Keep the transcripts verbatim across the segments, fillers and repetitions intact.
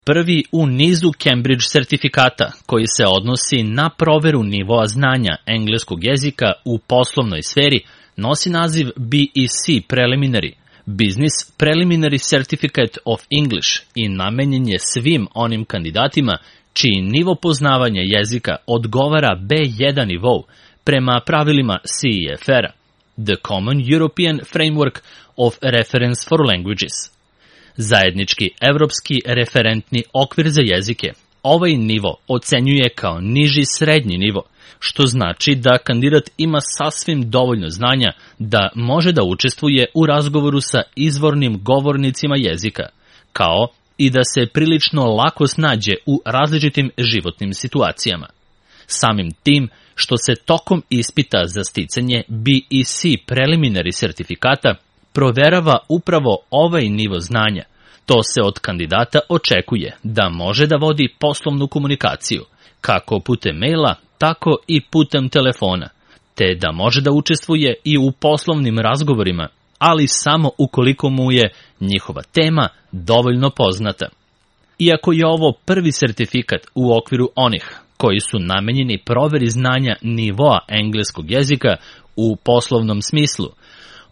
prvi u nizu Cambridge sertifikata koji se odnosi na proveru nivoa znanja engleskog jezika u poslovnoj sferi, nosi naziv B E C Preliminary, Business Preliminary Certificate of English, i namenjen je svim onim kandidatima čiji nivo poznavanja jezika odgovara B jedan nivou prema pravilima C E F R-a, The Common European Framework of Reference for Languages. Zajednički evropski referentni okvir za jezike ovaj nivo ocenjuje kao niži srednji nivo, što znači da kandidat ima sasvim dovoljno znanja da može da učestvuje u razgovoru sa izvornim govornicima jezika, kao i da se prilično lako snađe u različitim životnim situacijama. Samim tim što se tokom ispita za sticanje B E C Preliminary sertifikata proverava upravo ovaj nivo znanja, to se od kandidata očekuje da može da vodi poslovnu komunikaciju, kako putem maila, tako i putem telefona, te da može da učestvuje i u poslovnim razgovorima, ali samo ukoliko mu je njihova tema dovoljno poznata. Iako je ovo prvi sertifikat u okviru onih koji su namenjeni proveri znanja nivoa engleskog jezika u poslovnom smislu,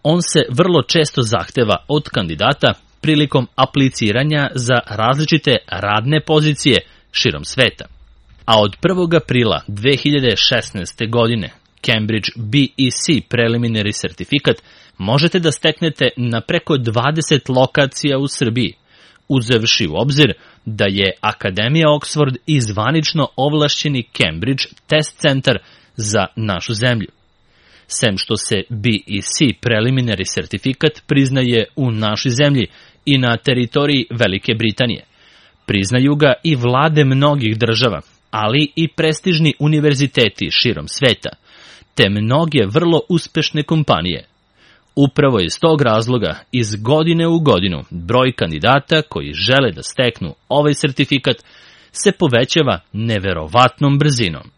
on se vrlo često zahteva od kandidata prilikom apliciranja za različite radne pozicije širom sveta. A od prvog aprila dve hiljade šesnaeste. godine Cambridge B E C Preliminary sertifikat možete da steknete na preko dvadeset lokacija u Srbiji, uzevši u obzir da je Akademija Oxford i zvanično ovlašćeni Cambridge test centar za našu zemlju. Sem što se B E C Preliminary sertifikat priznaje u našoj zemlji i na teritoriji Velike Britanije. Priznaju ga i vlade mnogih država, ali i prestižni univerziteti širom sveta, te mnoge vrlo uspešne kompanije. Upravo iz tog razloga, iz godine u godinu, broj kandidata koji žele da steknu ovaj sertifikat se povećava neverovatnom brzinom.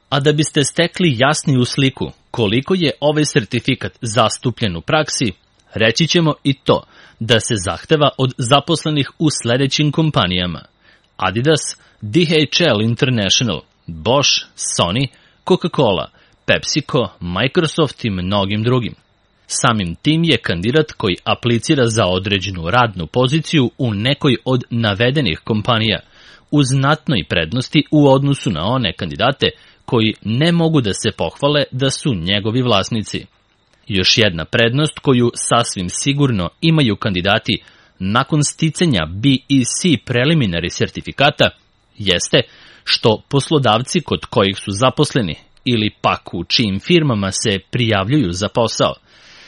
A da biste stekli jasniju sliku koliko je ovaj sertifikat zastupljen u praksi, reći ćemo i to da se zahteva od zaposlenih u sledećim kompanijama: Adidas, D H L International, Bosch, Sony, Coca-Cola, PepsiCo, Microsoft i mnogim drugim. Samim tim je kandidat koji aplicira za određenu radnu poziciju u nekoj od navedenih kompanija u znatnoj prednosti u odnosu na one kandidate koji ne mogu da se pohvale da su njegovi vlasnici. Još jedna prednost koju sasvim sigurno imaju kandidati nakon sticanja B E C Preliminary sertifikata jeste što poslodavci kod kojih su zaposleni ili pak u čijim firmama se prijavljuju za posao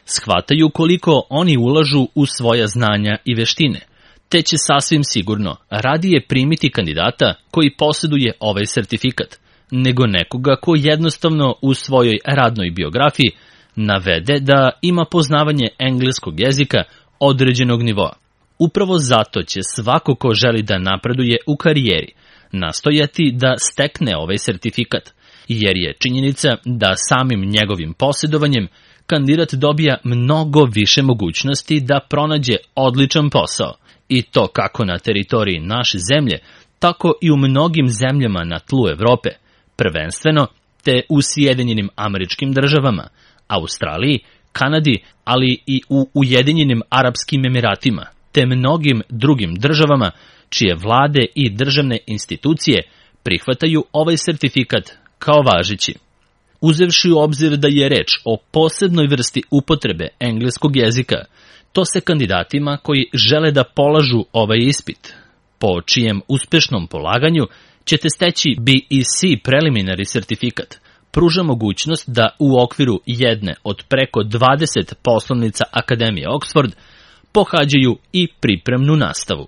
shvataju koliko oni ulažu u svoja znanja i veštine, te će sasvim sigurno radije primiti kandidata koji posjeduje ovaj sertifikat, nego nekoga ko jednostavno u svojoj radnoj biografiji navede da ima poznavanje engleskog jezika određenog nivoa. Upravo zato će svako ko želi da napreduje u karijeri nastojati da stekne ovaj sertifikat, jer je činjenica da samim njegovim posjedovanjem kandidat dobija mnogo više mogućnosti da pronađe odličan posao, i to kako na teritoriji naše zemlje, tako i u mnogim zemljama na tlu Evrope, prvenstveno te u Sjedinjenim Američkim Državama, Australiji, Kanadi, ali i u Ujedinjenim Arapskim Emiratima, te mnogim drugim državama čije vlade i državne institucije prihvataju ovaj sertifikat kao važeći. Uzevši u obzir da je reč o posebnoj vrsti upotrebe engleskog jezika, to se kandidatima koji žele da polažu ovaj ispit, po čijem uspešnom polaganju ćete steći B E C Preliminary sertifikat, pruža mogućnost da u okviru jedne od preko dvadeset poslovnica Akademije Oxford pohađaju i pripremnu nastavu.